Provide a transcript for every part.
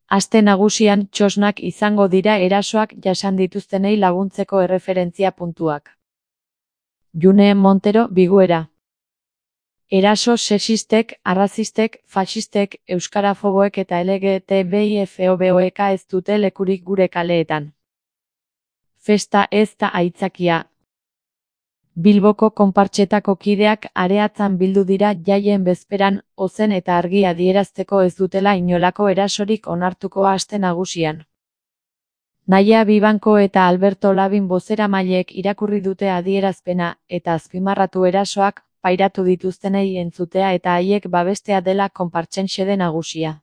Aste nagusian txosnak izango dira erasoak jasan dituztenei laguntzeko erreferentzia puntuak. June Montero, Biguera. Eraso sexistek, arrazistek, faxistek, euskarafoboek eta LGTBI-FOBOek ez dute lekurik gure kaleetan. Festa ez da aitzakia. Bilboko konpartsetako kideak areatzan bildu dira jaien bezperan, ozen eta argi adierazteko ez dutela inolako erasorik onartuko aste nagusian. Naia Bibanko eta Alberto Labin bozeramaileek irakurri dute adierazpena eta azpimarratu erasoak pairatu dituztenei entzutea eta haiek babestea dela konpartsen xede nagusia.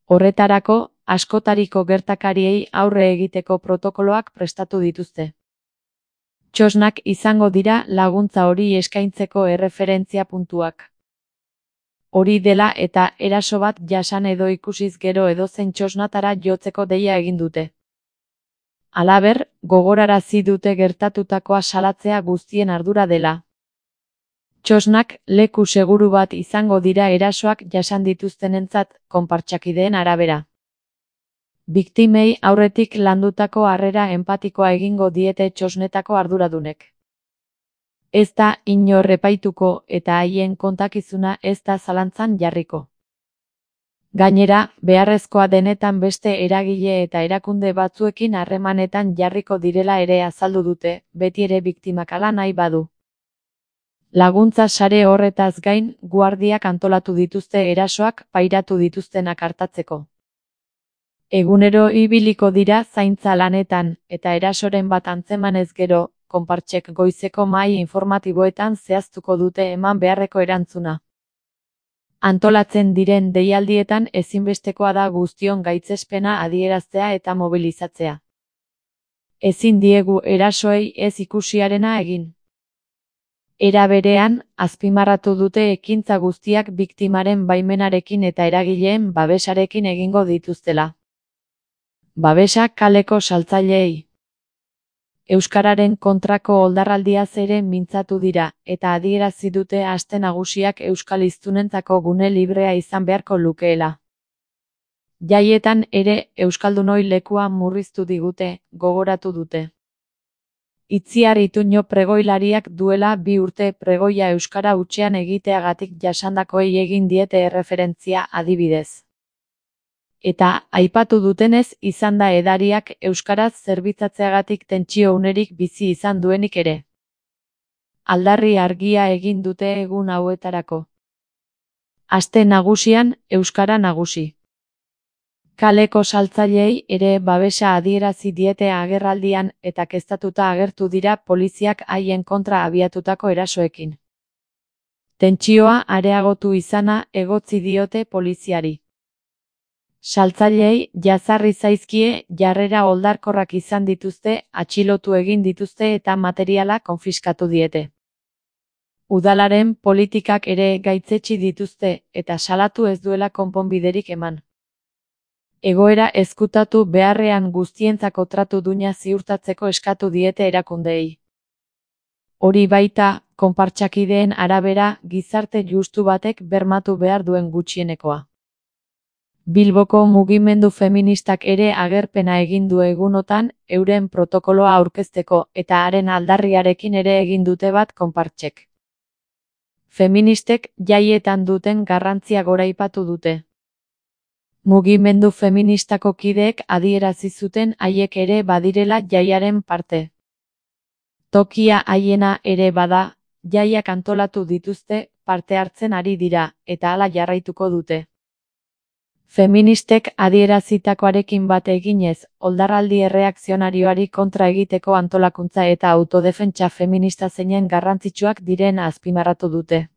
Horretarako, askotariko gertakariei aurre egiteko protokoloak prestatu dituzte. Txosnak izango dira laguntza hori eskaintzeko erreferentzia puntuak. Hori dela eta eraso bat jasan edo ikusiz gero edozein txosnatara jotzeko deia egin dute. Halaber, gogorarazi dute gertatutakoa salatzea guztien ardura dela. Txosnak leku seguru bat izango dira erasoak jasan dituztenentzat, konpartsakideen arabera. Biktimei aurretik landutako harrera enpatikoa egingo diete txosnetako arduradunek. Ez da inor epaituko eta haien kontakizuna ez da zalantzan jarriko. Gainera, beharrezkoa denetan beste eragile eta erakunde batzuekin harremanetan jarriko direla ere azaldu dute, beti ere biktimak hala nahi badu. Laguntza sare horretaz gain, guardiak antolatu dituzte erasoak pairatu dituztenak artatzeko. Egunero ibiliko dira zaintza lanetan, eta erasoren bat antzemanez gero, konpartsek goizeko mahai informatiboetan zehaztuko dute eman beharreko erantzuna. Antolatzen diren deialdietan ezinbestekoa da guztion gaitzespena adieraztea eta mobilizatzea. Ezin diegu erasoei ez ikusiarena egin. Era berean, azpimarratu dute ekintza guztiak biktimaren baimenarekin eta eragileen babesarekin egingo dituztela. Babesa kaleko saltzaileei. Euskararen kontrako oldarraldiaz ere mintzatu dira, eta adierazi dute aste nagusiak euskal hiztunentzako gune librea izan beharko lukeela. Jaietan ere euskaldunoi lekua murriztu digute, gogoratu dute. Itziar Ituño pregoilariak duela 2 urte pregoia euskara hutsean egiteagatik jasandakoei egin diete erreferentzia adibidez. Eta, aipatu dutenez izan da edariak euskaraz zerbitzatzeagatik tentsio unerik bizi izan duenik ere. Aldarri argia egin dute egun hauetarako. Aste nagusian, euskara nagusi. Kaleko saltzaileei ere babesa adierazi diete agerraldian eta keztatuta agertu dira poliziak haien kontra abiatutako erasoekin. Tentsioa areagotu izana egotzi diote poliziari. Saltzaileei jazarri zaizkie jarrera oldarkorrak izan dituzte, atxilotu egin dituzte eta materiala konfiskatu diete. Udalaren politikak ere gaitzetsi dituzte eta salatu ez duela konponbiderik eman. Egoera ezkutatu beharrean guztientzako tratu duina ziurtatzeko eskatu diete erakundeei. Hori baita, konpartsakideen arabera, gizarte justu batek bermatu behar duen gutxienekoa. Bilboko mugimendu feministak ere agerpena egin du egunotan, euren protokoloa aurkezteko eta haren aldarriarekin ere egin dute bat konpartsek. Feministek jaietan duten garrantzia goraipatu dute. Mugimendu feministako kideek adierazi zuten haiek ere badirela jaiaren parte. Tokia haiena ere bada, jaiak antolatu dituzte, parte hartzen ari dira, eta hala jarraituko dute. Feministek adierazitakoarekin bat eginez, oldarraldi erreakzionarioari kontra egiteko antolakuntza eta autodefentsa feminista zeinen garrantzitsuak diren azpimarratu dute.